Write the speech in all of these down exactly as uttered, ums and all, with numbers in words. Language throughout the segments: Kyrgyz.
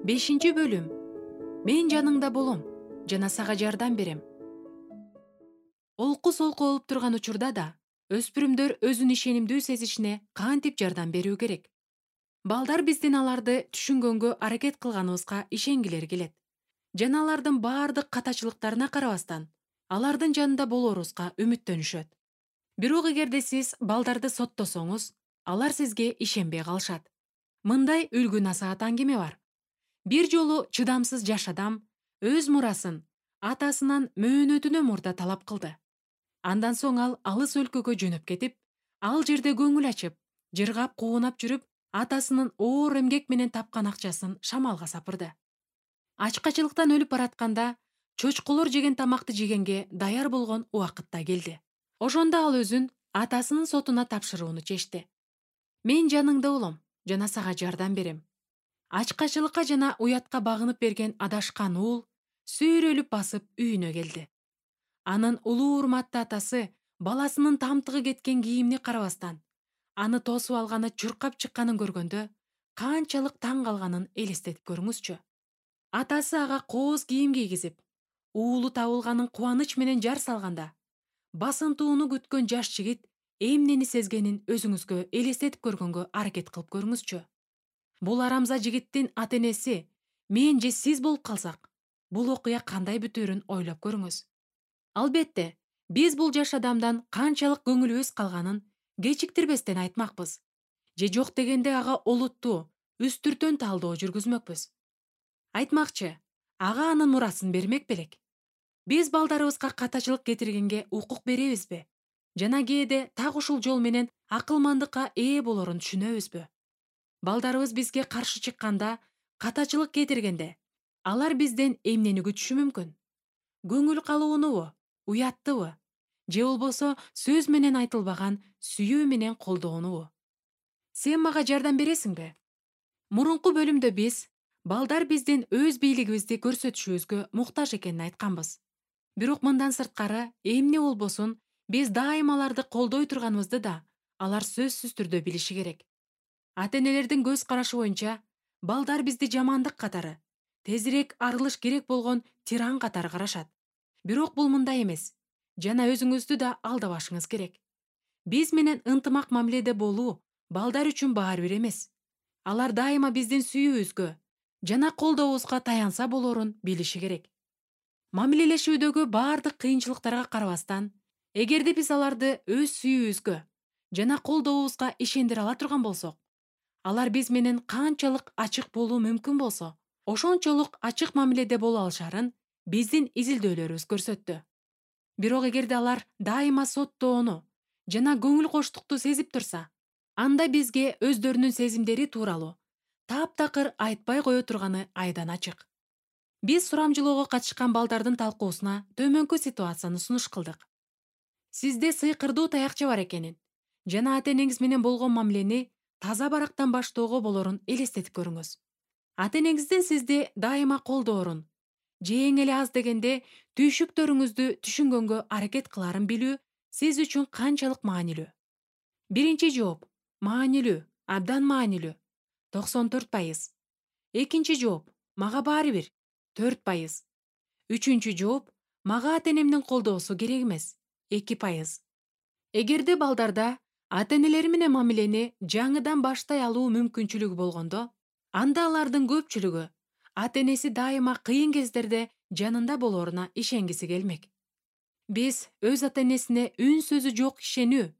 Бешинчи бөлүм. Мен жаныңда болом жана сага жардам берем. Олку солку болуп турган учурда да өспүрүмдөр өзүн ишенимдүү сезишине кантип жардам берүү керек? Балдар биздин аларды түшүнгөнгө аракет кылганыбызга ишенгилери келет. Жана алардын баардык катачылыктарына карабастан, алардын жанында болорубузга үмүттөнүшөт. Бирок эгерде сиз балдарды соттосоңуз, алар сизге ишенбей калышат. Мындай үлгү насаат аңгеме бар. Бир жолу чыдамсыз жаш адам өз мурасын атасынан мөөнөтүнө мурда талап кылды. Андан соң ал алыс өлкөгө жөнөп кетип, ал жерде көңүл ачып, жыргап куунап жүрүп, атасынын оор эмгек менен тапкан акчасын шамалга сапырды. Ачкачылыктан өлүп баратканда, чочколор жеген тамакты жегенге даяр болгон убакыт да келди. Ошондо ал өзүн атасынын сотуна тапшырууну чечти. Мен жаныңда болом жана сага жардам берем. Ачкачылыкка жана уятка багынып берген адашкан уул сүйрөлүп басып үйүнө келди. Анын улуу урматтуу атасы баласынын тамтыгы кеткен кийимине карабастан, аны тосуп алганы чуркап чыкканын көргөндө канчалык таң калганын элестетип көрүңүзчү. Атасы ага кооз кийим кийгизип, уулу табылганын кубаныч менен жар салганда, басынтууну күткөн жаш жигит эмнени сезгенин өзүңүзгө элестетип көргөнгө аракет кылып көрүңүзчү. Бул арамза жигиттин ата-энеси мен же сиз болуп калсак, бул окуя кандай бүтөөрүн ойлоп көрүңүз. Албетте, биз бул жаш адамдан канчалык көңүлүбүз калганын кечиктирбестен айтмакпыз. Же жок дегенде ага олуттуу, үстүртөн талдоо жүргүзмөкпүз. Айтмакчы, ага анын мурасын бермек белек. Биз балдарыбызга катачылык кетиргенге укук беребизби? Жана кээде так ушул жол менен акылмандыкка ээ болорун түшүнөбүзбү? Балдарыбыз бизге каршы чыкканда, катачылык кетиргенде, алар бизден эмнени күтүшү мүмкүн? Көңүл калуунубу, уяттыбы? Же болбосо сөз менен айтылбаган сүйүү менен колдоонубу? Сен мага жардам бересиңби? Мурунку бөлүмдө биз балдар биздин өз бийлигибизди көрсөтүшүбүзгө муктаж экенин айтканбыз. Бирок мындан сырткары эмне болбосун биз дайыма аларды колдой турганыбызды да алар сөзсүз түрдө билиши керек. Ата-энелердин көз карашы боюнча балдар бизди жамандык катары, тезирээк арылыш керек болгон тиран катары карашат. Бирок бул мындай эмес. Жана өзүңүздү да алдабашыңыз керек. Биз менен ынтымак мамиледе болуу балдар үчүн баары бир эмес. Алар дайыма биздин сүйүүбүзгө жана колдообузга таянса болорун билиши керек. Мамилелешүүдөгү баардык кыйынчылыктарга карабастан, эгерде биз аларды өз сүйүүбүзгө жана колдообузга ишендире ала турган болсок, алар биз менен канчалык ачык болуу мүмкүн болсо, ошончолук ачык мамиледе боло алышарын биздин изилдөөлөрүбүз көрсөттү. Бирок эгерде алар дайыма соттоону жана көңүл коштукту сезип турса, анда бизге өздөрүнүн сезимдери тууралуу таптакыр айтпай кое турганы айдан ачык. Биз сурамжылоого катышкан балдардын талкуусуна төмөнкү ситуацияны сунуш кылдык. Сизде сыйкырдуу таякча бар экенин жана ата-энеңиз менен болгон мамилени таза барактан баштоого болорун элестетип көрүңүз. Ата-энеңиздин сизди дайыма колдоорун, же эң эле аз дегенде түйшүктөрүңүздү түшүнгөнгө аракет кыларын билүү сиз үчүн канчалык маанилүү? Биринчи жооп: маанилүү, абдан маанилүү. токсон төрт пайыз. Экинчи жооп: мага баары бир. төрт пайыз. Үчүнчү жооп: мага ата-энемдин колдоосу керек эмес. эки пайыз. Эгерде балдарда ата-энелери менен мамилени жаңыдан баштай алуу мүмкүнчүлүгү болгондо, анда алардын көпчүлүгү ата-энеси дайыма кыйын кездерде жанында болоруна ишенгиси келмек. Биз өз ата-энесине үн сөзү жок ишенүү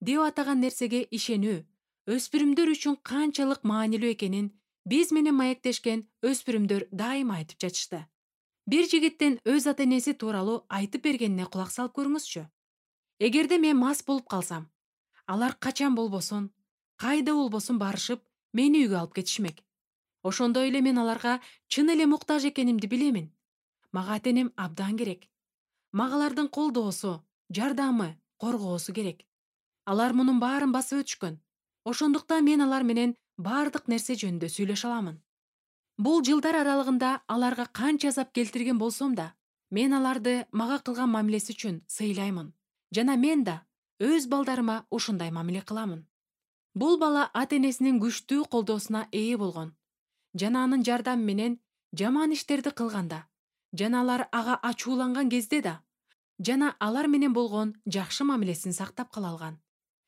деп атаган нерсеге ишенүү өспүрүмдөр үчүн канчалык маанилүү экенин биз менен маектешкен өспүрүмдөр дайыма айтып жатышты. Бир жигиттин өз ата-энеси тууралуу айтып бергенине кулак салып көрүңүзчү. Эгерде мен мас болуп калсам, алар качан болбосун, кайда болбосун барышып, мени үйгө алып кетишмек. Ошондой эле мен аларга чын эле муктаж экенимди билемин. Мага ата-энем абдан керек. Мага алардын колдоосу, жардамы, коргоосу керек. Алар мунун баарын басып өтүшкөн. Ошондуктан мен алар менен баардык нерсе жөнүндө сүйлөшө аламын. Бул жылдар аралыгында аларга канча азап келтирген болсом да, мен аларды мага кылган мамилеси үчүн сыйлаймын. Жана мен да өз балдарыма ушундай мамиле кыламын. Бул бала ата-энесинин күчтүү колдоосуна ээ болгон. жана анын жардамы менен жаман иштерди кылганда, жана алар ага ачууланган кезде да, жана алар менен болгон жакшы мамилесин сактап кала алган.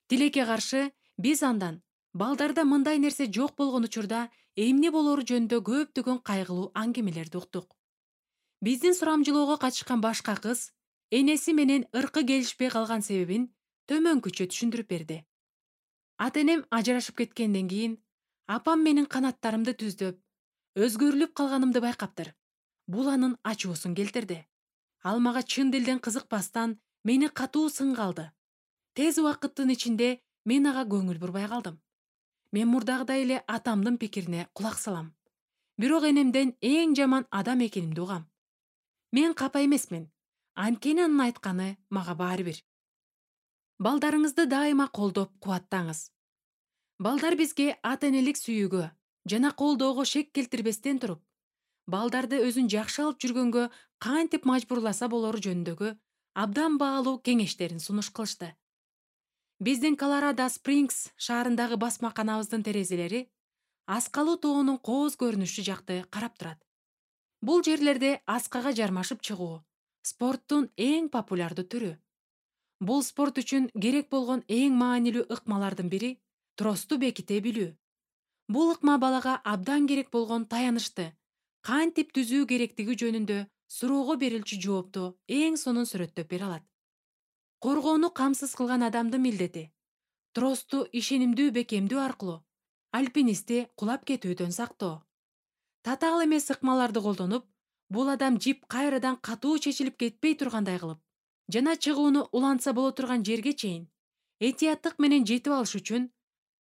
Тилекке каршы, биз андан балдарда мындай нерсе жок болгон учурда эмне болору жөнүндө көптөгөн кайгылуу аңгемелерди уктук. Биздин сурамжылоого катышкан башка кыз энеси менен ыркы келишпей калган себебин төмөнкүчө түшүндүрүп берди. Ата-энем ажырашып кеткенден кийин апам менин канаттарымды түздөп, өзгөрүлүп калганымды байкаптыр. Бул анын ачуусун келтирди. Ал мага чын дилден кызыкпастан мени катуу сынга алды. Тез убакыттын ичинде мен ага көңүл бурбай калдым. Мен мурдагыдай эле атамдын пикирине кулак салам. Бирок энемден эң жаман адам экенимди угам. Мен капа эмесмин. Анткени анын айтканы мага баары бир. Балдарыңызды дайыма колдоп, кубаттаңыз. Балдар бизге ата-энелик сүйүүгө жана колдоого шек келтирбестен туруп, балдарды өзүн жакшы алып жүргөнгө кантип мажбурласа болору жөнүндөгү абдан баалуу кеңештерин сунуш кылышты. Биздин Колорадо Спрингс шаарындагы басмаканабыздын терезелери Аскалуу тоонун кооз көрүнүшү жакты карап турат. Бул жерлерде аскага жармашып чыгуу спорттун эң популярдуу түрү. Бул спорт үчүн керек болгон эң маанилүү ыкмалардын бири тросту беките билүү. Бул ыкма балага абдан керек болгон таянычты кантип түзүү керектиги жөнүндө суроого берилчү жоопту эң сонун сүрөттөп бере алат. Коргоону камсыз кылган адамдын милдети тросту ишенимдүү бекемдүү аркылуу альпинистти кулап кетүүдөн сактоо. Татаал эмес ыкмаларды колдонуп, бул адам жип кайрадан катуу чечилип кетпей тургандай кылып, жана чыгууну улантса боло турган жерге чейин этияттык менен жетип алыш үчүн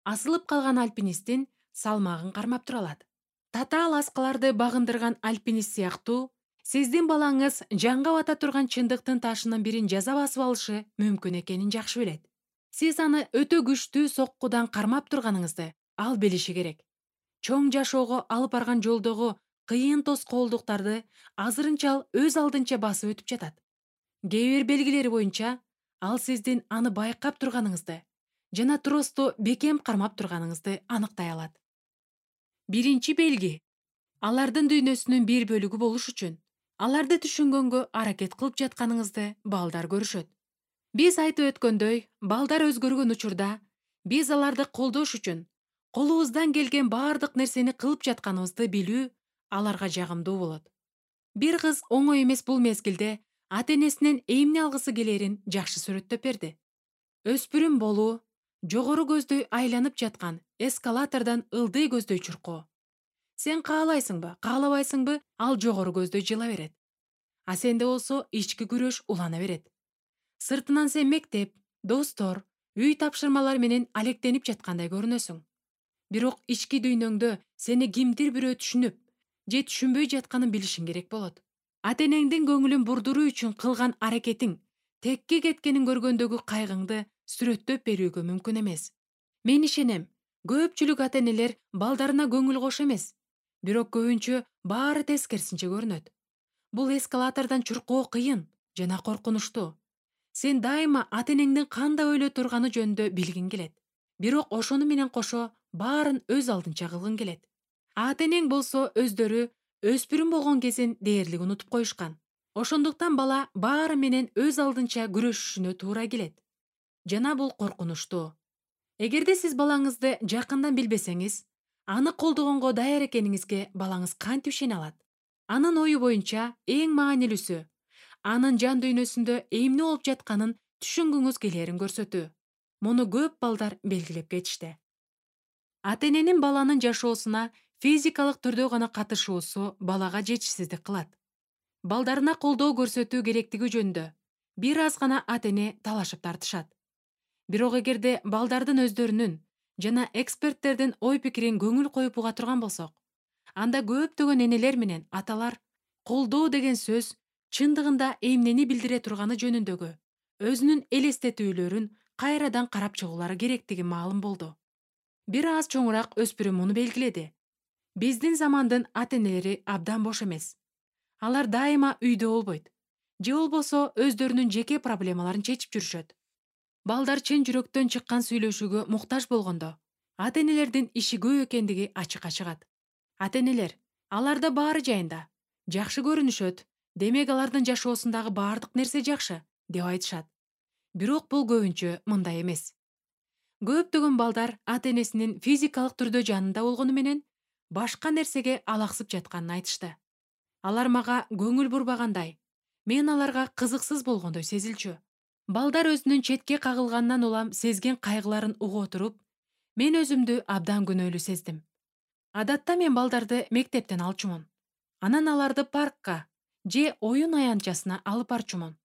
асылып калган альпинисттин салмагын кармап тура алат. Татаал аскаларды багындырган альпинист сыяктуу, сиздин балаңыз жанга бата турган чындыктын ташынын бирин жаза басып алышы мүмкүн экенин жакшы билет. Сиз аны өтө күчтүү соккудан кармап турганыңызды ал билиши керек. Чоң жашоого алып барган жолдогу кыйын тоскоолдуктарды азырынча ал өз алдынча басып өтүп жатат. Кээ бир белгилери боюнча ал сиздин аны байкап турганыңызды жана тросту бекем кармап турганыңызды аныктай алат. Биринчи белги. Алардын дүйнөсүнүн бир бөлүгү болуш үчүн аларды түшүнгөнгө аракет кылып жатканыңызды балдар көрүшөт. Биз айтып өткөндөй, балдар өзгөргөн учурда биз аларды колдош үчүн колубуздан келген баардык нерсени кылып жатканыбызды билүү аларга жагымдуу болот. Бир кыз оңой эмес бул мезгилде ата-энесинен эмне алгысы келерин жакшы сүрөттөп берди. Өспүрүм болуу, жогору көздөй айланып жаткан эскалатордон ылдый көздөй чуркоо. Сен каалайсыңбы, каалабайсыңбы, ал жогору көздөй жыла берет. А сенде болсо ички күрөш улана берет. Сыртынан сен мектеп, достор, үй тапшырмалар менен алектенип жаткандай көрүнөсүң. Бирок ички дүйнөңдө сени кимдир бирөө түшүнүп, же түшүнбөй жатканын билишиң керек болот. Ата-энеңдин көңүлүн бурдуруу үчүн кылган аракетиң текке кеткенин көргөндөгү кайгыңды сүрөттөп берүүгө мүмкүн эмес. Мен ишенем, көпчүлүк ата-энелер балдарына көңүл кош эмес, бирок көбүнчө баары тескерисинче көрүнөт. Бул эскалатордон чуркоо кыйын жана коркунучтуу. Сен дайыма ата-энеңдин кандай ойлой турганы жөнүндө билгиң келет. Бирок ошону менен кошо баарын өз алдынча кылгың келет. Ата-энең болсо өздөрү өспүрүм болгон кезин дээрлик унутуп коюшкан. Ошондуктан бала баары менен өз алдынча күрөшүшүнө туура келет. Жана бул коркунучтуу. Эгерде сиз балаңызды жакындан билбесеңиз, аны колдогонго даяр экениңизге балаңыз кантип ишене алат? Анын ою боюнча эң маанилүүсү анын жан дүйнөсүндө эмне болуп жатканын түшүнгүңүз келерин көрсөтүү. Муну көп балдар белгилеп кетишти. Ата-эненин баланын жашоосуна физикалык түрдө гана катышуусу балага жетишсиздик кылат. Балдарына колдоо көрсөтүү керектиги жөнүндө бир аз гана ата-эне талашып тартышат. Бирок эгерде балдардын өздөрүнүн жана эксперттердин ой пикирин көңүл коюп уга турган болсок, анда көптөгөн энелер менен аталар колдоо деген сөз чындыгында эмнени билдире турганы жөнүндөгү өзүнүн элестетүүлөрүн кайрадан карап чыгуулары керектиги маалым болду. Бир аз чоңураак өспүрүм муну белгиледи. Биздин замандын ата-энелери абдан бош эмес. Алар дайыма үйдө болбойт. Же болбосо өздөрүнүн жеке проблемаларын чечип жүрүшөт. Балдар чын жүрөктөн чыккан сүйлөшүүгө муктаж болгондо, ата-энелердин иши көп экендиги ачыкка чыгат. Ата энелер аларда баары жайында жакшы көрүнүшөт, демек алардын жашоосундагы баардык нерсе жакшы деп айтышат. Бирок бул көбүнчө мындай эмес. Көптөгөн балдар ата энесинин физикалык түрдө жанында болгону менен башка нерсеге алаксып жатканын айтышты. Алар мага көңүл бурбагандай, мен аларга кызыксыз болгондой сезилчү. Балдар өзүнүн четке кагылганынан улам сезген кайгыларын уга отуруп, мен өзүмдү абдан күнөөлүү сездим. Адатта мен балдарды мектептен алчумун. Анан аларды паркка же оюн аянтчасына алып барчумун.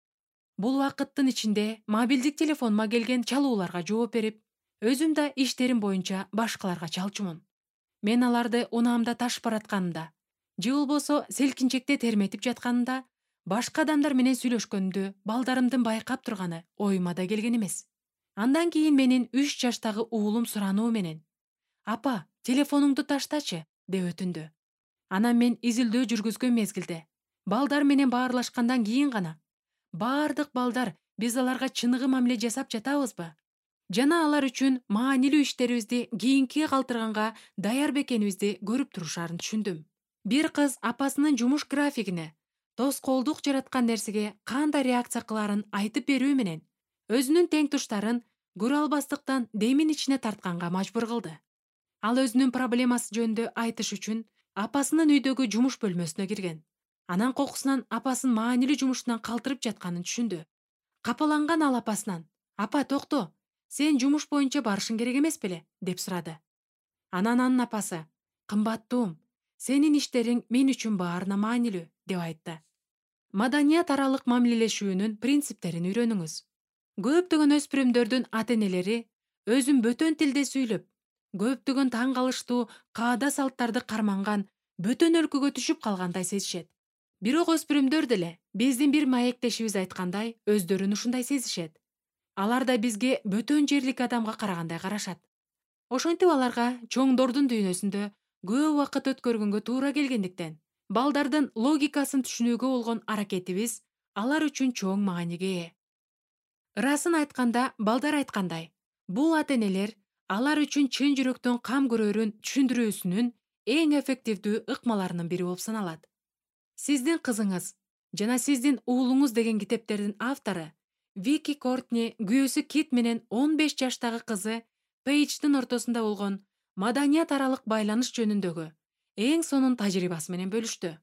Бул убакыттын ичинде мобилдик телефонума келген чалууларга жооп берип, өзүм да иштерим боюнча башкаларга чалчумун. Мен аларды унаамда ташып баратканымда же болбосо селкинчекте терметип жатканымда башка адамдар менен сүйлөшкөндү балдарымдын байкап турганы оюма да келген эмес. Андан кийин менин үч жаштагы уулум сурануу менен: "Апа, телефонуңду таштачы" деп өтүндү. Анан мен изилдөө жүргүзгөн мезгилде, балдар менен баарлашкандан кийин гана баардык балдар биз аларга чыныгы мамиле жасап жатабызбы? Жана алар үчүн маанилүү иштерибизди кийинкиге калтырганга даяр бекенибизди көрүп турушаарын түшүндүм. Бир кыз апасынын жумуш графигине тоскоолдук жараткан нерсеге кандай реакция кылаарын айтып берүү менен өзүнүн тең туштарын көрө албастыктан демин ичине тартканга мажбур кылды. Ал өзүнүн проблемасы жөнүндө айтыш үчүн апасынын үйдөгү жумуш бөлмөсүнө кирген. Анан кокусунан апасын маанилүү жумушунан калтырып жатканын түшүндү. Капаланган ал апасынан: "Апа, токто, сен жумуш боюнча барышың керек эмес беле?" деп сурады. Анан анын апасы: "Кымбаттуум, сенин иштериң мен үчүн баарына маанилүү" деп айтты. Маданият аралык мамилелешүүнүн принциптерин үйрөнүңүз. Көптөгөн өспүрүмдөрдүн ата энелери өзүн бөтөн тилде сүйлөп, көптөгөн таң калыштуу каада салттарды карманган бөтөн өлкөгө түшүп калгандай сезишет. Бирок өспүрүмдөр деле биздин бир маектешибиз айткандай өздөрүн ушундай сезишет. Алар да бизге бөтөн жерлик адамга карагандай карашат. Ошентип аларга чоңдордун дүйнөсүндө көп убакыт өткөргөнгө туура келгендиктен, балдардын логикасын түшүнүүгө болгон аракетибиз алар үчүн чоң мааниге ээ. Ырасын айтканда, балдар айткандай, бул ата энелер алар үчүн чын жүрөктөн кам көрөрүн түшүндүрүүсүнүн эң эффективдүү ыкмаларынын бири болуп саналат. Сиздин кызыңыз жана сиздин уулуңуз деген китептердин автору Вики Кортни күйөөсү Кит менен он беш жаштагы кызы Пейдждин ортосунда болгон маданият аралык байланыш жөнүндөгү эң сонун тажрыйбасы менен бөлүштү.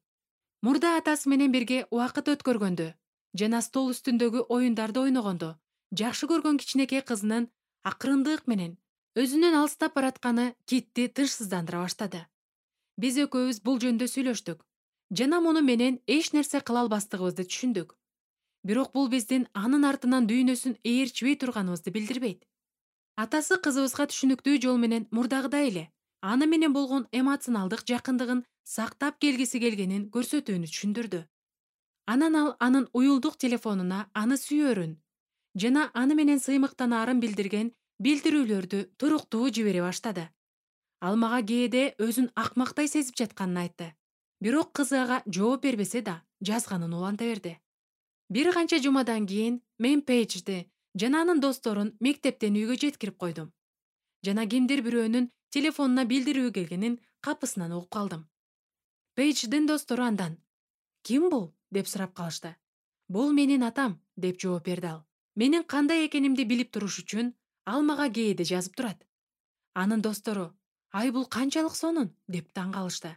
Мурда атасы менен бирге убакыт өткөргөндө жана стол үстүндөгү оюндарды ойногондо жакшы көргөн кичинекей кызынын акырындык менен өзүнөн алыстап баратканы Китти тынчсыздандыра баштады. Биз экөөбүз бул жөнүндө сүйлөштүк жана муну менен эч нерсе кыла албастыгыбызды түшүндүк. Бирок бул биздин анын артынан дүйнөсүн ээрчибей турганыбызды билдирбейт. Атасы кызыбызга түшүнүктүү жол менен мурдагыдай эле аны менен болгон эмоционалдык жакындыгын сактап келгиси келгенин көрсөтүүнү түшүндүрдү. Анан ал анын уюлдук телефонуна аны сүйөрүн жана аны менен сыймыктанаарын билдирген билдирүүлөрдү туруктуу жибере баштады. Ал мага кээде өзүн акмактай сезип жатканын айтты. Бирок кызы ага жооп бербесе да, жазганын уланта берди. Бир канча жумадан кийин мен Пейджди жана анын досторун мектептен үйгө жеткирип койдум. Жана кимдир бирөөнүн телефонуна билдирүү келгенин капысынан угуп калдым. Пейдждин достору андан: "Ким бул?" деп сурап калышты. "Бул менин атам" деп жооп берди ал. Менин кандай экенимди билип туруш үчүн ал мага кээде жазып турат. Анын достору: "Ай, бул канчалык сонун" деп таң калышты.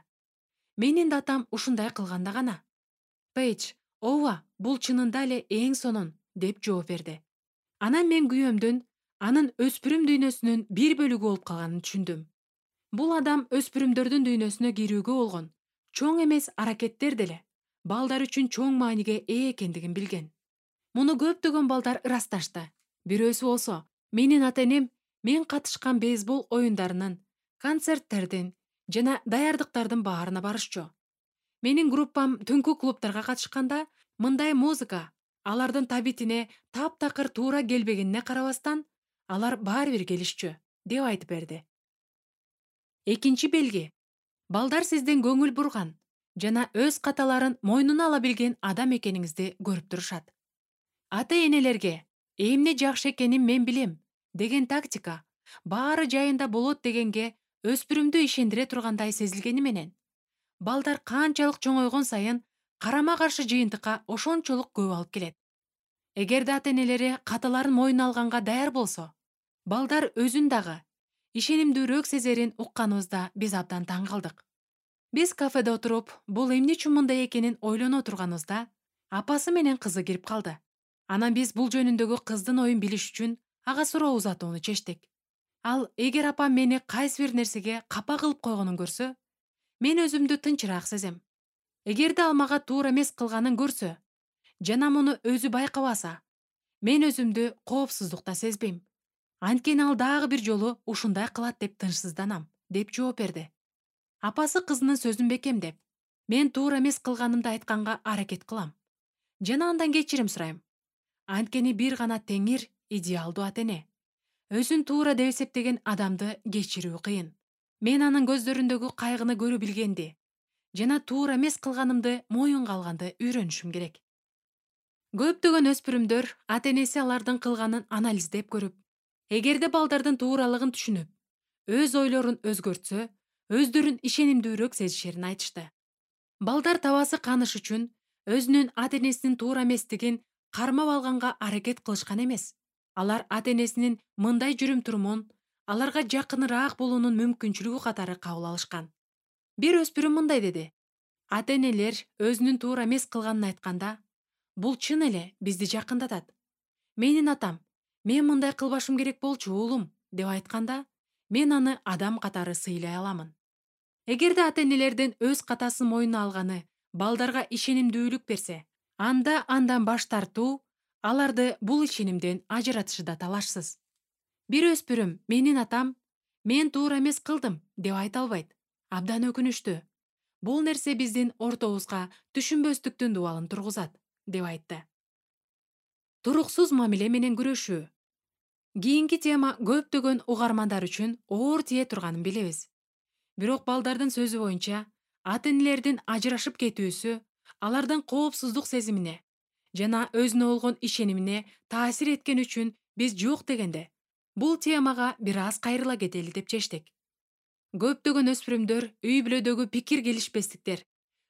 Менин да атам ушундай кылганда гана. Пейдж: "Ооба, бул чынында эле эң сонун" деп жооп берди. Анан мен күйөөмдүн анын өспүрүм дүйнөсүнүн бир бөлүгү болуп калганын түшүндүм. Бул адам өспүрүмдөрдүн дүйнөсүнө кирүүгө болгон чоң эмес аракеттер деле балдар үчүн чоң мааниге ээ экендигин билген. Муну көптөгөн балдар ырасташты. Бирөөсү болсо, менин ата энем мен катышкан бейсбол оюндарынын, концерттердин жана даярдыктардын баарына барышчу. Менин группам түнкү клубдарга катышканда мындай музыка алардын табитине таптакыр туура келбегенине карабастан, алар баары бир келишчү деп айтып берди. Экинчи белги. Балдар сиздин көңүл бурган жана өз каталарын мойнуна ала билген адам экениңизди көрүп турушат. Ата энелерге эмне жакшы экенин мен билем деген тактика баары жайында болот дегенге өспүрүмдү ишендире тургандай сезилгени менен, Балдар канчалык чоңойгон сайын карама каршы жыйынтыкка ошончолук көп алып келет. Эгерде ата-энелери каталарын мойнуна алганга даяр болсо, балдар өзүн дагы ишенимдүүрөөк сезерин укканыбызда биз абдан таң калдык. Биз кафеде отуруп, бул эмне үчүн мындай экенин ойлоно турганыбызда, апасы менен кызы кирип калды. Анан биз бул жөнүндөгү кыздын оюн билиш үчүн ага суроо узатууну чечтик. Ал эгер апам мени кайсы бир нерсеге капа кылып койгонун көрсө, мен өзүмдү тынчыраак сезем. Эгерде ал мага туура эмес кылганын көрсө, жана муну өзү байкабаса, мен өзүмдү коопсуздукта сезбейм. Анткени ал дагы бир жолу ушундай кылат деп тынчсызданам, деп жооп берди. Апасы кызынын сөзүн бекемдеп, мен туура эмес кылганымды айтканга аракет кылам. Жана андан кечирим сурайм. Анткени бир гана Теңир идеалдуу ата-эне. Өзүн туура деп эсептеген адамды кечирүү кыйын. Мен анын көздөрүндөгү кайгыны көрө билгенди жана туура эмес кылганымды моюнга алганды үйрөнүшүм керек. Көптөгөн өспүрүмдөр ата-энеси алардын кылганын анализдеп көрүп, эгерде балдардын тууралыгын түшүнүп, өз ойлорун өзгөртсө, өздөрүн ишенимдүүрөөк сезишерин айтышты. Балдар табасы каныш үчүн өзүнүн ата-энесинин туура эместигин кармап алганга аракет кылышкан эмес. Алар ата-энесинин мындай жүрүм-турумун аларга жакыныраак болуунун мүмкүнчүлүгү катары кабыл алышкан. Бир өспүрүм мындай деди: ата-энелер өзүнүн туура эмес кылганын айтканда, бул чын эле бизди жакындатат. Менин атам, мен мындай кылбашым керек болчу уулум, деп айтканда, мен аны адам катары сыйлай аламын. Эгерде ата-энелердин өз катасын мойнуна алганы балдарга ишенимдүүлүк берсе, анда андан баш тартуу аларды бул ишенимден ажыратышыда талашсыз. Бир өспүрүм менин атам мен туура эмес кылдым деп айта албайт. Абдан өкүнүчтүү. Бул нерсе биздин ортобузга түшүнбөстүктүн дубалын тургузат, деп айтты. Туруксуз мамиле менен күрөшүү. Кийинки тема көптөгөн угармандар үчүн оор тие турганын билебиз. Бирок балдардын сөзү боюнча, ата-энелердин ажырашып кетүүсү алардын коопсуздук сезимине жана өзүнө болгон ишенимине таасир эткен үчүн биз жок дегенде, бул темага бир аз кайрыла кетели деп чечтик. Көптөгөн өспүрүмдөр үй бүлөдөгү пикир келишпестиктер,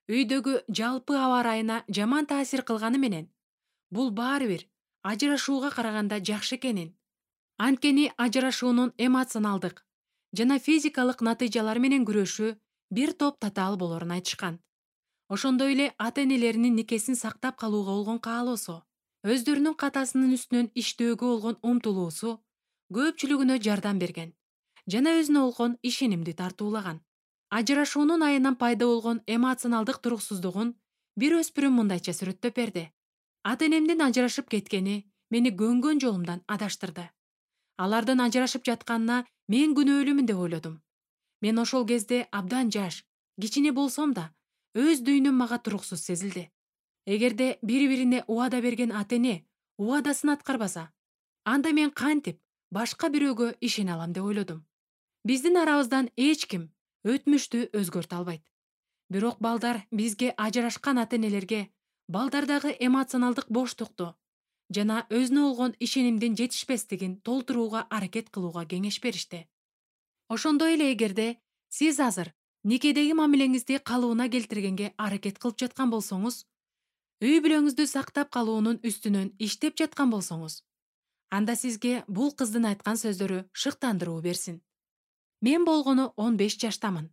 үйдөгү жалпы аба ырайына жаман таасир кылганы менен, бул баары бир ажырашууга караганда жакшы экенин, анткени ажырашуунун эмоционалдык жана физикалык натыйжалары менен күрөшүү бир топ татаал болорун айтышкан. Ошондой эле ата-энелеринин никесин сактап калууга болгон каалоосу, өздөрүнүн катасынын үстүнөн иштөөгө болгон умтулуусу көпчүлүгүнө жардам берген жана өзүнө болгон ишенимди тартуулаган. Ажырашуунун айынан пайда болгон эмоционалдык туруксуздугун бир өспүрүм мындайча сүрөттөп берди. Ата-энемдин ажырашып кеткени мени көнгөн жолумдан адаштырды. Алардын ажырашып жатканына мен күнөөлүүмүн деп ойлодум. Мен ошол кезде абдан жаш, кичине болсом да, өз дүйнөм мага туруксуз сезилди. Эгерде бири-бирине убада берген ата-эне убадасын аткарбаса, анда мен кантип башка бирөөгө ишене алам деп ойлодум. Биздин арабыздан эч ким өтмүштү өзгөртө албайт. Бирок балдар бизге ажырашкан ата-энелерге балдардагы эмоционалдык боштукту жана өзүнө болгон ишенимдин жетишпестигин толтурууга аракет кылууга кеңеш беришти. Ошондой эле эгерде сиз азыр никедеги мамилеңизди калыбына келтиргенге аракет кылып жаткан болсоңуз, үй бүлөңүздү сактап калуунун үстүнөн иштеп жаткан болсоңуз, анда сизге бул кыздын айткан сөздөрү шыктандыруу берсин. Мен болгону он беш жаштамын.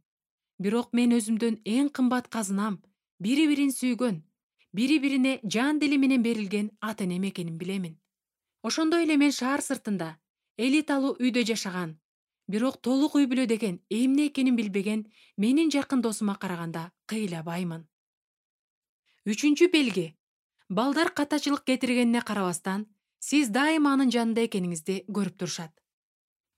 Бирок мен өзүмдүн эң кымбат казынам бири-бирин сүйгөн, бири-бирине жан дили менен берилген ата-энем экенин билемин. Ошондой эле мен шаар сыртында элиталуу үйдө жашаган, бирок толук үй бүлө деген эмне экенин билбеген менин жакын досума караганда кыйлабаймын. Үчүнчү белги. Балдар катачылык кетиргенине карабастан, сиз дайыма анын жанында экениңизди көрүп турушат.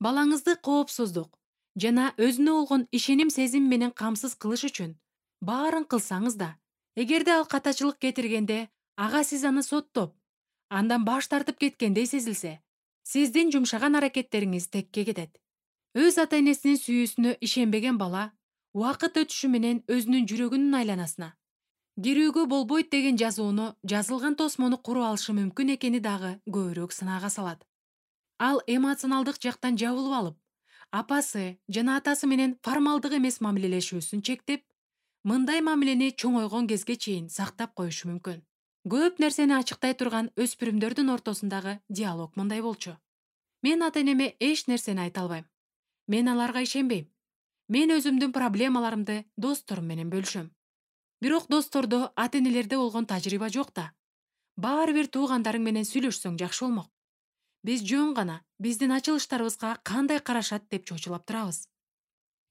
Балаңызды коопсуздук жана өзүнө болгон ишеним сезим менен камсыз кылыш үчүн баарын кылсаңыз да, эгерде ал катачылык кетиргенде ага сиз аны соттоп, андан баш тартып кеткендей сезилсе, сиздин жумшаган аракеттериңиз текке кетет. Өз ата-энесинин сүйүүсүнө ишенбеген бала убакыт өтүшү менен өзүнүн жүрөгүнүн айланасына кирүүгө болбойт деген жазууну жазылган тосмону куруп алышы мүмкүн экени дагы көбүрөөк сынаага салат. Ал эмоционалдык жактан жабылып алып, апасы жана атасы менен формалдык эмес мамилелешүүсүн чектеп, мындай мамилени чоңойгон кезге чейин сактап коюшу мүмкүн. Көп нерсени ачыктай турган өспүрүмдөрдүн ортосундагы диалог мындай болчу. Мен ата-энеме эч нерсени айта албайм. Мен аларга ишенбейм. Мен өзүмдүн проблемаларымды досторум менен бөлүшөм. Бирок достордо, ата-энелерде болгон тажрыйба жок да. Баары бир туугандарың менен сүйлөшсөң жакшы болмок. Биз жөн гана биздин ачылыштарыбызга кандай карашат деп чочулап турабыз.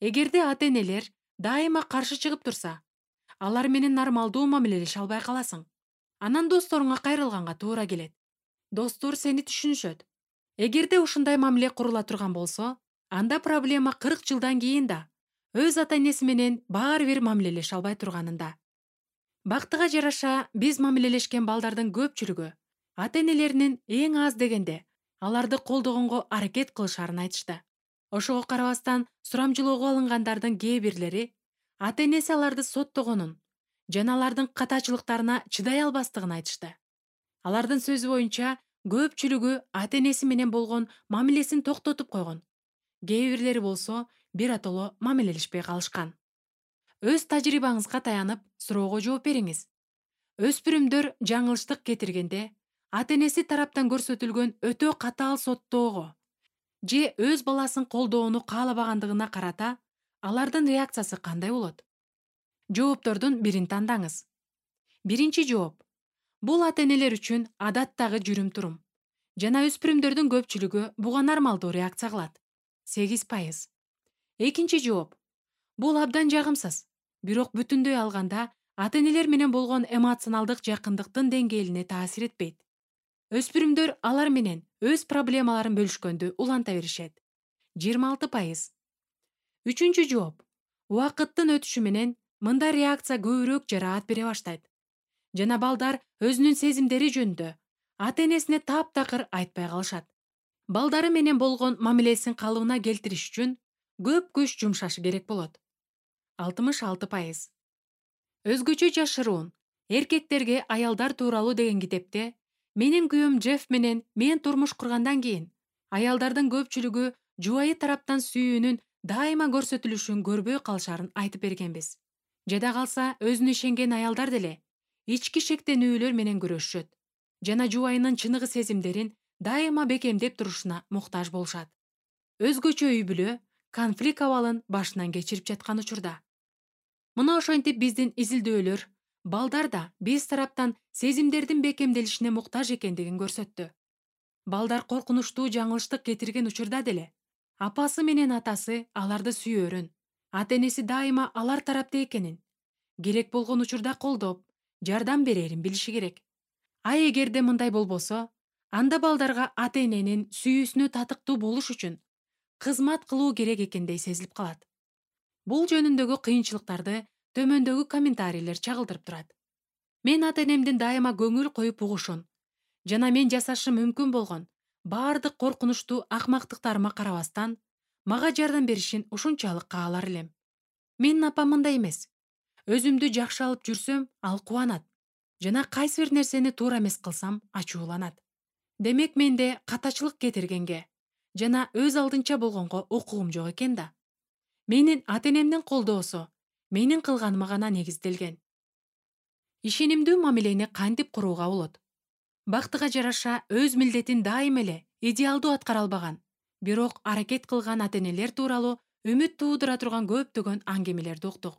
Эгерде ата-энелер дайыма каршы чыгып турса, алар менен нормалдуу мамилелеше албай каласың. Анан досторуңа кайрылганга туура келет. Достор сени түшүнүшөт. Эгерде ушундай мамиле курула турган болсо, анда проблема кырк жылдан кийин да өз ата-энеси менен баары бир мамилелеше албай турганында. Бактыга жараша, биз мамилелешкен балдардын көпчүлүгү ата-энелеринин эң аз дегенде аларды колдогонго аракет кылышарын айтышты. Ошого карабастан сурамжылоого алынгандардын кээ бирлери ата-энеси аларды соттогонун жана алардын катачылыктарына чыдай албастыгын айтышты. Алардын сөзү боюнча, көпчүлүгү ата-энеси менен болгон мамилесин токтотуп койгон. Кээ бирлери болсо биротоло мамилелешпей калышкан. Өз тажрыйбаңызга таянып, суроого жооп бериңиз. Өспүрүмдөр жаңылыштык кетиргенде, ата-энеси тараптан көрсөтүлгөн өтө катаал соттоого же өз баласын колдоону каалабагандыгына карата алардын реакциясы кандай болот? Жооптордун бирин тандаңыз. Биринчи жооп. Бул ата-энелер үчүн адаттагы жүрүм-турум. Жана өспүрүмдөрдүн көпчүлүгү буга нормалдуу реакция кылат. сегиз пайыз. Экинчи жооп. Бул абдан жагымсыз. Бирок бүтүндөй алганда ата-энелер менен болгон эмоционалдык жакындыктын деңгээлине таасир этпейт. Өспүрүмдөр алар менен өз проблемаларын бөлүшкөндү уланта беришет. жыйырма алты пайыз. Үчүнчү жооп. Убакыттын өтүшү менен мындай реакция көбүрөөк жараат бере баштайт. Жана балдар өзүнүн сезимдери жөнүндө ата-энесине таптакыр айтпай калышат. Балдары менен болгон мамилесин калыбына келтириш үчүн көп күч жумшашы керек болот. алтымыш алты пайыз. Өзгөчө жашыруун. Эркектерге аялдар тууралуу деген китепте менин күйөөм Джефф менен мен турмуш кургандан кийин аялдардын көпчүлүгү жубайы тараптан сүйүүнүн дайыма көрсөтүлүшүн көрбөй калышарын айтып бергенбиз. Жада калса, өзүнө ишенген аялдар деле ички шектенүүлөр менен күрөшүшөт жана жубайынын чыныгы сезимдерин дайыма бекемдеп турушуна муктаж болушат. Өзгөчө үй бүлө конфликт абалын башынан кечирип жаткан учурда. Мына ошентип биздин изилдөөлөр балдар да биз тараптан сезимдердин бекемделишине муктаж экендигин көрсөттү. Балдар коркунучтуу жаңылыштык кетирген учурда деле апасы менен атасы аларды сүйөөрүн, ата-энеси дайыма алар тарапта экенин, керек болгон учурда колдоп, жардам берерин билиши керек. А эгерде мындай болбосо, анда балдарга ата-эненин сүйүүсүнө татыктуу болуш үчүн кызмат кылуу керек экендей сезилип калат. Бул жөнүндөгү кыйынчылыктарды төмөндөгү комментарийлер чагылдырып турат. Мен ата-энемдин дайыма көңүл коюп угушун жана мен жасашым мүмкүн болгон баардык коркунучтуу акмактыктарыма карабастан мага жардам беришин ушунчалык каалар элем. Менин апам мындай эмес. Өзүмдү жакшы алып жүрсөм, ал кубанат жана кайсы бир нерсени туура эмес кылсам ачууланат. Демек менде катачылык кетиргенге жана өз алдынча болгонго укугум жок экен да. Менин ата-энемдин колдоосу менин кылганыма гана негизделген. Ишенимдүү мамилени кантип курууга болот? Бактыга жараша өз милдетин дайым эле идеалдуу аткара албаган, бирок аракет кылган ата-энелер тууралуу үмүт туудура турган көптөгөн аңгемелерди уктук.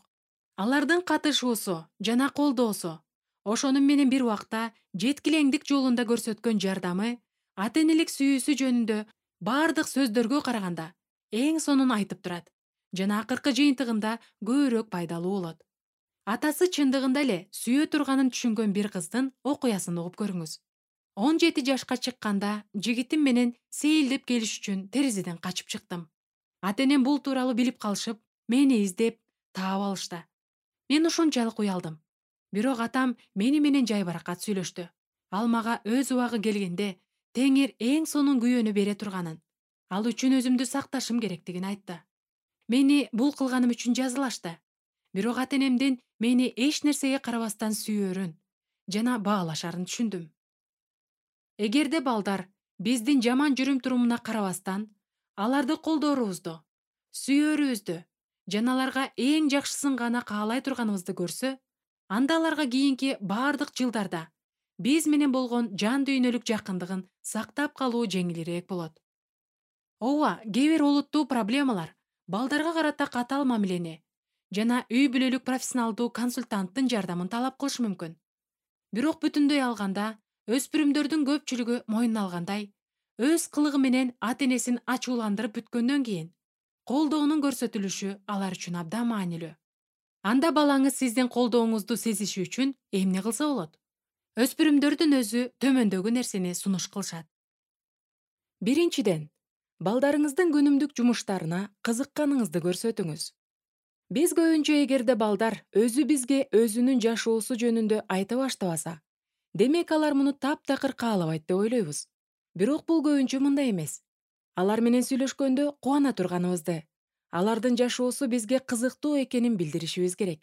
Алардын катышуусу жана колдоосу, ошонун менен бир убакта жеткилеңдик жолунда көрсөткөн жардамы, ата-энелик сүйүүсү жөнүндө баардык сөздөргө караганда эң сонун айтып турат жана акыркы жыйынтыгында көбүрөөк пайдалуу болот. Атасы чындыгында эле сүйө турганын түшүнгөн бир кыздын окуясын угуп көрүңүз. он жети жашка чыкканда жигитим менен сейилдеп келиш үчүн терезеден качып чыктым. Ата-энем бул тууралуу билип калышып, мени издеп, таап алышты. Мен ушунчалык уялдым. Бирок атам мени менен жайбаракат сүйлөштү. Ал мага өз убагы келгенде Теңир эң сонун күйөөнү бере турганын, ал үчүн өзүмдү сакташым керектигин айтты. Мени бул кылганым үчүн жазалашты. Бирок ата-энемдин мени эч нерсеге карабастан сүйөөрүн жана баалашарын түшүндүм. Эгерде балдар биздин жаман жүрүм-турумуна карабастан аларды колдоорубузду, сүйөөрүбүздү жана аларга эң жакшысын гана каалай турганыбызды көрсө, анда аларга кийинки бардык жылдарда биз менен болгон жан дүйнөлүк жакындыгын сактап калуу жеңилирээк болот. Ооба, кээ бир олуттуу проблемалар балдарга карата катаал мамилени жана үй бүлөлүк профессионалдуу консультанттын жардамын талап кылышы мүмкүн. Бирок бүтүндөй алганда, өспүрүмдөрдүн көпчүлүгү мойнуна алгандай, өз кылыгы менен ата-энесин ачууландырып бүткөндөн кийин колдоонун көрсөтүлүшү алар үчүн абдан маанилүү. Анда балаңыз сиздин колдооңузду сезиши үчүн эмне кылса болот? Өспүрүмдөрдүн өзү төмөндөгү нерсени сунуш кылышат. Биринчиден, балдарыңыздын күнүмдүк жумуштарына кызыкканыңызды көрсөтүңүз. Биз көбүнчө эгерде балдар өзү бизге өзүнүн жашоосу жөнүндө айта баштабаса, демек алар муну таптакыр каалабайт деп ойлойбуз. Бирок бул көбүнчө мындай эмес. Алар менен сүйлөшкөндө кубана турганыбызды, алардын жашоосу бизге кызыктуу экенин билдиришибиз керек.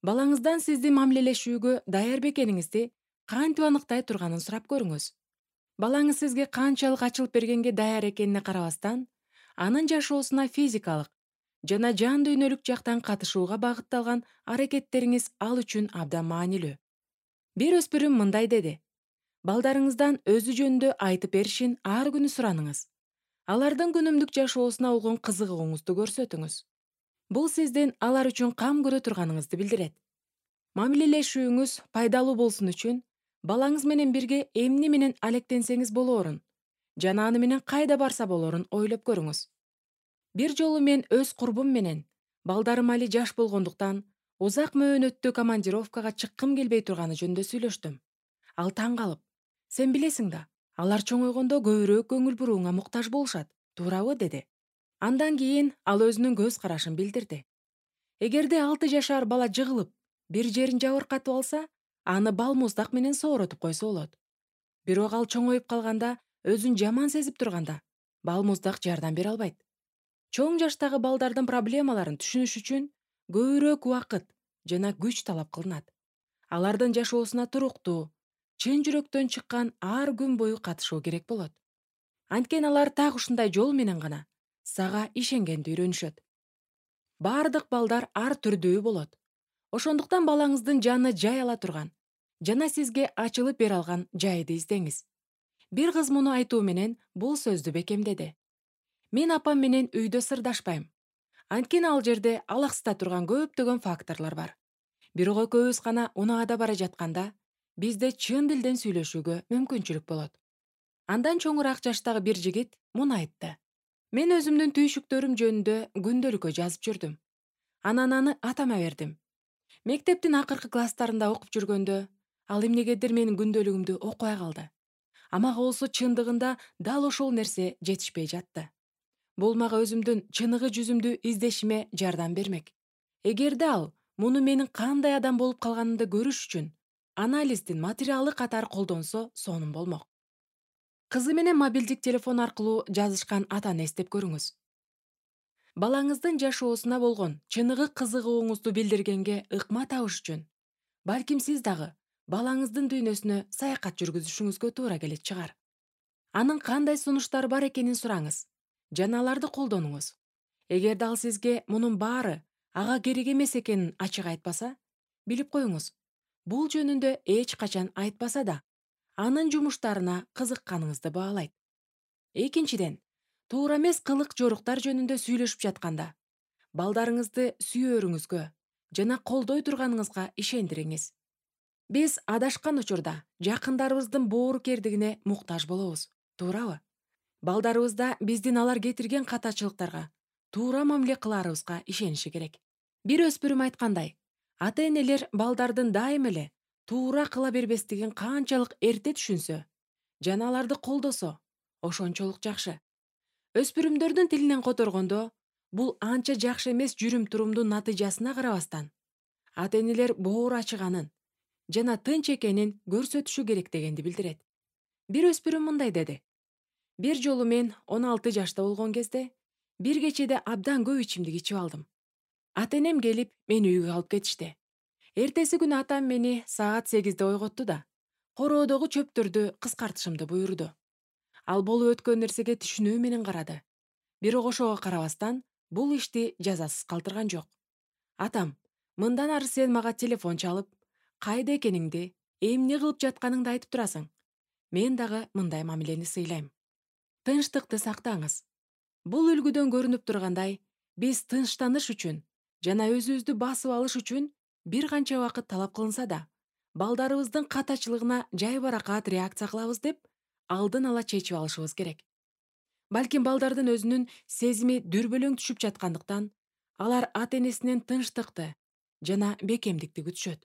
Балаңыздан сиздин мамилелешүүгө даяр бекениңизди кантип аныктай турганын сурап көрүңүз. Балаңыз сизге канчалык ачылып бергенге даяр экенине карабастан, анын жашоосуна физикалык жана жан дүйнөлүк жактан катышууга багытталган аракеттериңиз ал үчүн абдан маанилүү. Бир өспүрүм мындай деди: балдарыңыздан өзү жөнүндө айтып беришин ар күнү сураныңыз. Алардын күнүмдүк жашоосуна болгон кызыгууңузду көрсөтүңүз. Бул сиздин алар үчүн кам көрө турганыңызды билдирет. Мамилелешүүңүз пайдалуу болсун үчүн балаңыз менен бирге эмне менен алектенсеңиз болоорун жана аны менен кайда барса болоорун ойлоп көрүңүз. Бир жолу мен өз курбум менен, балдарым али жаш болгондуктан, узак мөөнөттүү командировкага чыккым келбей турганы жөнүндө сүйлөштүм. Ал таң калып: "Сен билесиң да, алар чоңойгондо көбүрөөк көңүл бурууңа муктаж болушат, туурабы?" деди. Андан кийин ал өзүнүн көз карашын билдирди. Эгерде алты жашар бала жыгылып, бир жерин жабыркатып алса, аны бал муздак менен сооротуп койсо болот. Бирок ал чоңоюп калганда, өзүн жаман сезип турганда, бал муздак жардам бере албайт. Чоң жаштагы балдардын проблемаларын түшүнүш үчүн көбүрөөк убакыт жана күч талап кылынат. Алардын жашоосуна туруктуу, чын жүрөктөн чыккан ар күн бою катышуу керек болот. Анткени алар так ушундай жол менен гана сага ишенгенди үйрөнүшөт. Бардык балдар ар түрдүү болот. Ошондуктан балаңыздын жаны жай ала турган жана сизге ачылып бере алган жайды издеңиз. Бир кыз муну айтуу менен бул сөздү бекемдеди: "Мен апам менен үйдө сырдашпайм. Анткени ал жерде алаксыта турган көптөгөн факторлор бар. Бирок экөөбүз гана унаада бара жатканда, бизде чын дилден сүйлөшүүгө мүмкүнчүлүк болот." Андан чоңураак жаштагы бир жигит муну айтты: "Мен өзүмдүн түйшүктөрүм жөнүндө күндөлүккө жазып жүрдүм. Анан аны атама бердим. Мектептин акыркы класстарында окуп жүргөндө, ал эмнегедир менин күндөлүгүмдү окубай калды. А мага болсо чындыгында дал ошол нерсе жетишпей жатты. Бул мага өзүмдүн чыныгы жүзүмдү издешиме жардам бермек. Эгерде ал муну менин кандай адам болуп калганымды көрүш үчүн анализдин материалы катары колдонсо, сонун болмок." Кызы менен мобилдик телефон аркылуу жазышкан атаны эстеп көрүңүз. Балаңыздын жашоосуна болгон чыныгы кызыгууңузду билдиргенге ыкма табыш үчүн, балким сиз дагы балаңыздын дүйнөсүнө саякат жүргүзүшүңүзгө туура келет чыгар. Анын кандай сунуштары бар экенин сураңыз жана аларды колдонуңуз. Эгерде ал сизге мунун баары ага керек эмес экенин ачык айтпаса, билип коюңуз, бул жөнүндө эч качан айтпаса да, анын жумуштарына кызыкканыңызды баалайт. Экинчиден, туура эмес кылык жоруктар жөнүндө сүйлөшүп жатканда, балдарыңызды сүйөөрүңүзгө жана колдой турганыңызга ишендириңиз. Биз адашкан учурда жакындарыбыздын боорукердигине муктаж болобуз, туурабы? Балдарыбызда биздин алар кетирген катачылыктарга туура мамиле кылаарыбызга ишениши керек. Бир өспүрүм айткандай, ата-энелер балдардын дайым эле туура кыла бербестигин канчалык эрте түшүнсө жана аларды колдосо, ошончолук жакшы. Өспүрүмдөрдүн тилинен которгондо, бул анча жакшы эмес жүрүм-турумдун натыйжасына карабастан, ата-энелер боору ачыганын жана тынч экенин көрсөтүшү керек дегенди билдирет. Бир өспүрүм мындай деди: "Бир жолу мен он алты жашта болгон кезде, бир кечеде абдан көп ичимдик ичип алдым. Ата-энем келип, мени үйгө алып кетишти. Эртеси күнү атам мени саат сегизде ойготту да, короодогу чөптөрдү кыскартышымды буйрду. Ал болуп өткөн нерсеге түшүнүү менен карады. Бирок ошого карабастан, бул ишти жазасыз калтырган жок. Атам, мындан ары сен мага телефон чалып, кайда экениңди, эмне кылып жатканыңды айтып турасың. Мен дагы мындай мамилени сыйлайм. Тынчтыкты сактаңыз. Бул үлгүдөн көрүнүп тургандай, биз тынчтаныш үчүн жана өзүбүздү басып алыш үчүн бир канча убакыт талап кылынса да, балдарыбыздын катачылыгына жайбаракат реакция кылабыз деп, алдын ала чечип алышыбыз керек. Балким балдардын өзүнүн сезими дүрбөлөң түшүп жаткандыктан, алар ата-энесинен тынчтыкты жана бекемдикти күтүшөт.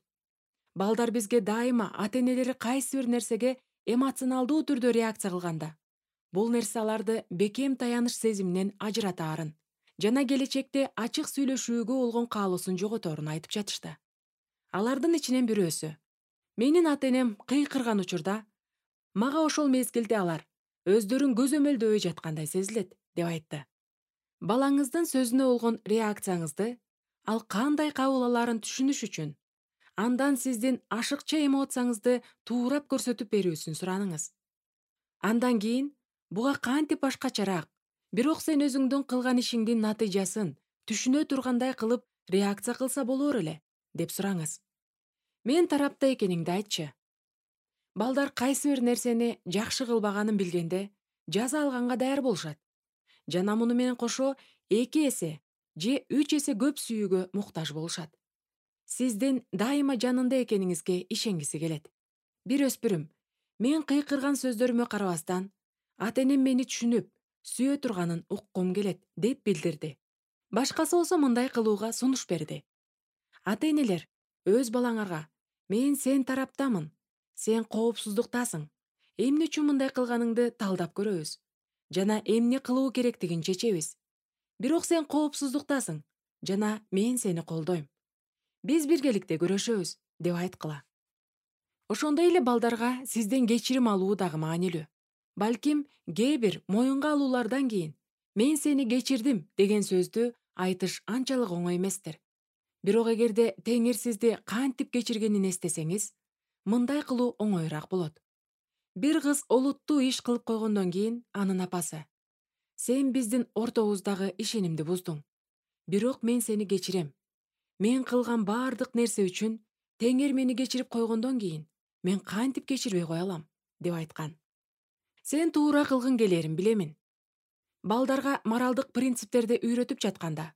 Балдар бизге дайыма ата-энелери кайсы бир нерсеге эмоционалдуу түрдө реакция кылганда, бул нерсе аларды бекем таяныч сезиминен ажыратаарын жана келечекте ачык сүйлөшүүгө болгон каалоосун жоготорун айтып жатышты. Алардын ичинен бирөөсү: менин ата-энем кыйкырган учурда мага ошол мезгилде алар өздөрүн көзөмөлдөбөй жаткандай сезилет, деп айтты. Балаңыздын сөзүнө болгон реакцияңызды ал кандай кабыл алаарын түшүнүш үчүн андан сиздин ашыкча эмоцияңызды туурап көрсөтүп берүүсүн сураныңыз. Андан кийин буга кантип башкачараак, бирок сен өзүңдүн кылган ишиңдин натыйжасын түшүнө тургандай кылып реакция кылса болор эле, деп сураңыз. Мен тарапта экениңди айтчы. Балдар кайсы бир нерсени жакшы кылбаганын билгенде жаза алганга даяр болушат. Жана муну менен кошо эки эсе же үч эсе көп сүйүүгө муктаж болушат. Сиздин дайыма жанында экениңизге ишенгиси келет. Бир өспүрүм мен кыйкырган сөздөрүмө карабастан, ата-энем мени түшүнүп, сүйө турганын уккум келет, деп билдирди. Башкасы болсо мындай кылууга сунуш берди. Ата-энелер, өз балаңарга: мен сен тараптамын, сен коопсуздуктасың, эмне үчүн мындай кылганыңды талдап көрөбүз жана эмне кылуу керектигин чечебиз. Бирок сен коопсуздуктасың жана мен сени колдойм. Биз биргеликте күрөшөбүз, деп айткыла. Ошондой эле балдарга сизден кечирим алуу дагы маанилүү. Балким кээ бир моюнга алуулардан кийин мен сени кечирдим деген сөздү айтыш анчалык оңой эместир. Бирок эгерде Теңир сизди кантип кечиргенин эстесеңиз, мындай кылуу оңоюраак болот. Бир кыз олуттуу иш кылып койгондон кийин анын апасы: сен биздин ортобуздагы ишенимди буздуң. Бирок мен сени кечирем. Мен кылган бардык нерсе үчүн Теңир мени кечирип койгондон кийин мен кантип кечирбей кое алам, деп айткан. Сен туура кылгың келерин билемин. Балдарга моралдык принциптерди үйрөтүп жатканда,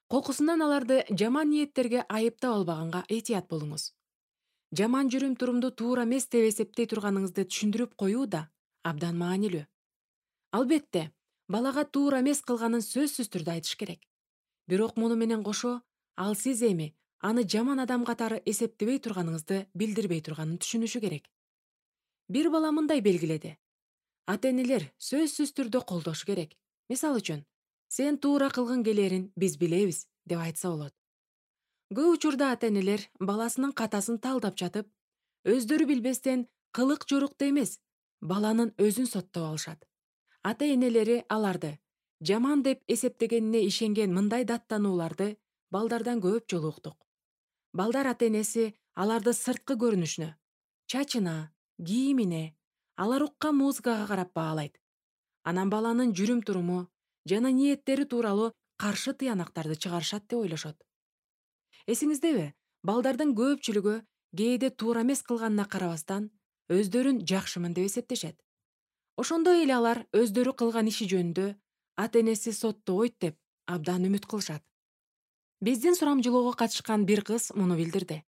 кокусунан аларды жаман ниеттерге айыптап албаганга этият болуңуз. Жаман жүрүм-турумду туура эмес деп эсептей турганыңызды түшүндүрүп коюу да абдан маанилүү. Албетте, балага туура эмес кылганын сөзсүз түрдө айтыш керек. Бирок муну менен кошо, ал сиз эми аны жаман адам катары эсептебей турганыңызды билдирбей турганын түшүнүшү керек. Бир бала мындай белгиледи: ата-энелер сөзсүз түрдө колдошу керек. Мисалы үчүн, сен туура кылгың келерин биз билебиз, деп айтса болот. Көп учурда ата-энелер баласынын катасын талдап жатып, өздөрү билбестен кылык жорукта эмес, баланын өзүн соттоп алышат. Ата-энелери аларды жаман деп эсептегенине ишенген мындай даттанууларды балдардан көп жолу уктук. Балдар ата-энеси аларды сырткы көрүнүшүнө, чачына, кийимине, алар уккан музыкага карап баалайт. Анан баланын жүрүм-туруму жана ниеттери тууралуу каршы тыянактарды чыгарышат деп ойлошот. Эсиңиздеби, балдардын көпчүлүгү кээде туура эмес кылганына карабастан, өздөрүн жакшымын деп эсептешет. Ошондой эле алар өздөрү кылган иши жөнүндө ата-энеси соттобойт деп абдан үмүт кылышат. Биздин сурамжылоого катышкан бир кыз муну билдирди.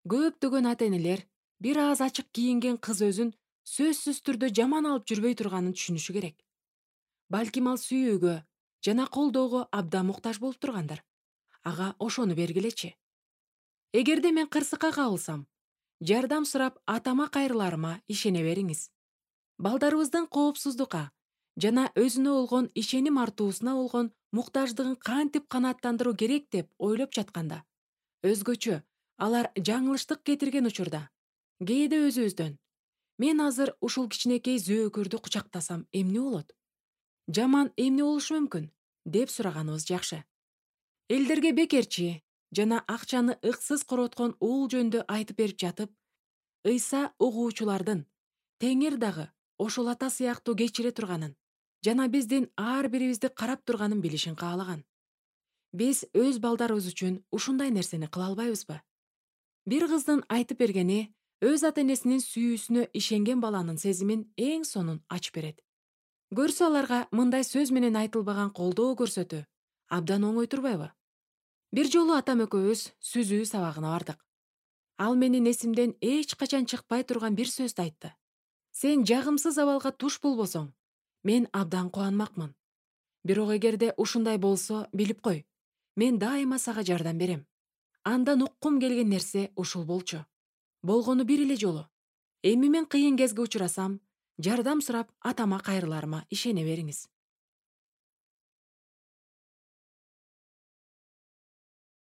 Көптөгөн ата-энелер бир аз ачык кийинген кыз өзүн сөзсүз түрдө жаман алып жүрбөй турганын түшүнүшү керек. Балким ал сүйүүгө жана колдоого абдан муктаж болуп тургандыр. Ага ошону бергилечи. Эгерде мен кырсыкка кабылсам, жардам сурап атама кайрыларыма ишене бериңиз. Балдарыбыздын коопсуздукка жана өзүнө болгон ишеним артуусуна болгон муктаждыгын кантип канааттандыруу керек деп ойлоп жатканда, өзгөчө алар жаңылыштык кетирген учурда, кээде өзүбүздөн: мен азыр ушул кичинекей зөөкөрдү кучактасам эмне болот? Жаман эмне болушу мүмкүн? Деп сураганыбыз жакшы. Элдерге бекерчи жана акчаны ыксыз короткон уул жөнүндө айтып берип жатып, ыйса угуучулардын Теңир дагы ошол ата сыяктуу кечире турганын жана биздин ар бирибизди карап турганын билишин каалаган. Биз өз балдарыбыз үчүн ушундай нерсени кыла албайбызбы? Бир кыздын айтып бергени өз ата энесинин сүйүүсүнө ишенген баланын сезимин эң сонун ачып берет. Көрсө аларга мындай сөз менен айтылбаган колдоо көрсөтүү абдан оңой турбайбы? Бир жолу атам экөөбүз сүзүү сабагына бардык. Ал менин эсимден эч качан чыкпай турган бир сөздү айтты. Сен жагымсыз абалга туш болбосоң, мен абдан кубанмакмын. Бирок эгерде ушундай болсо, билип кой, мен дайыма сага жардам берем. Андан уккум келген нерсе ушул болчу. Болгону бир эле жолу. Эми мен кыйын кезге учурасам, жардам сурап атама кайрыларыма ишене бериңиз.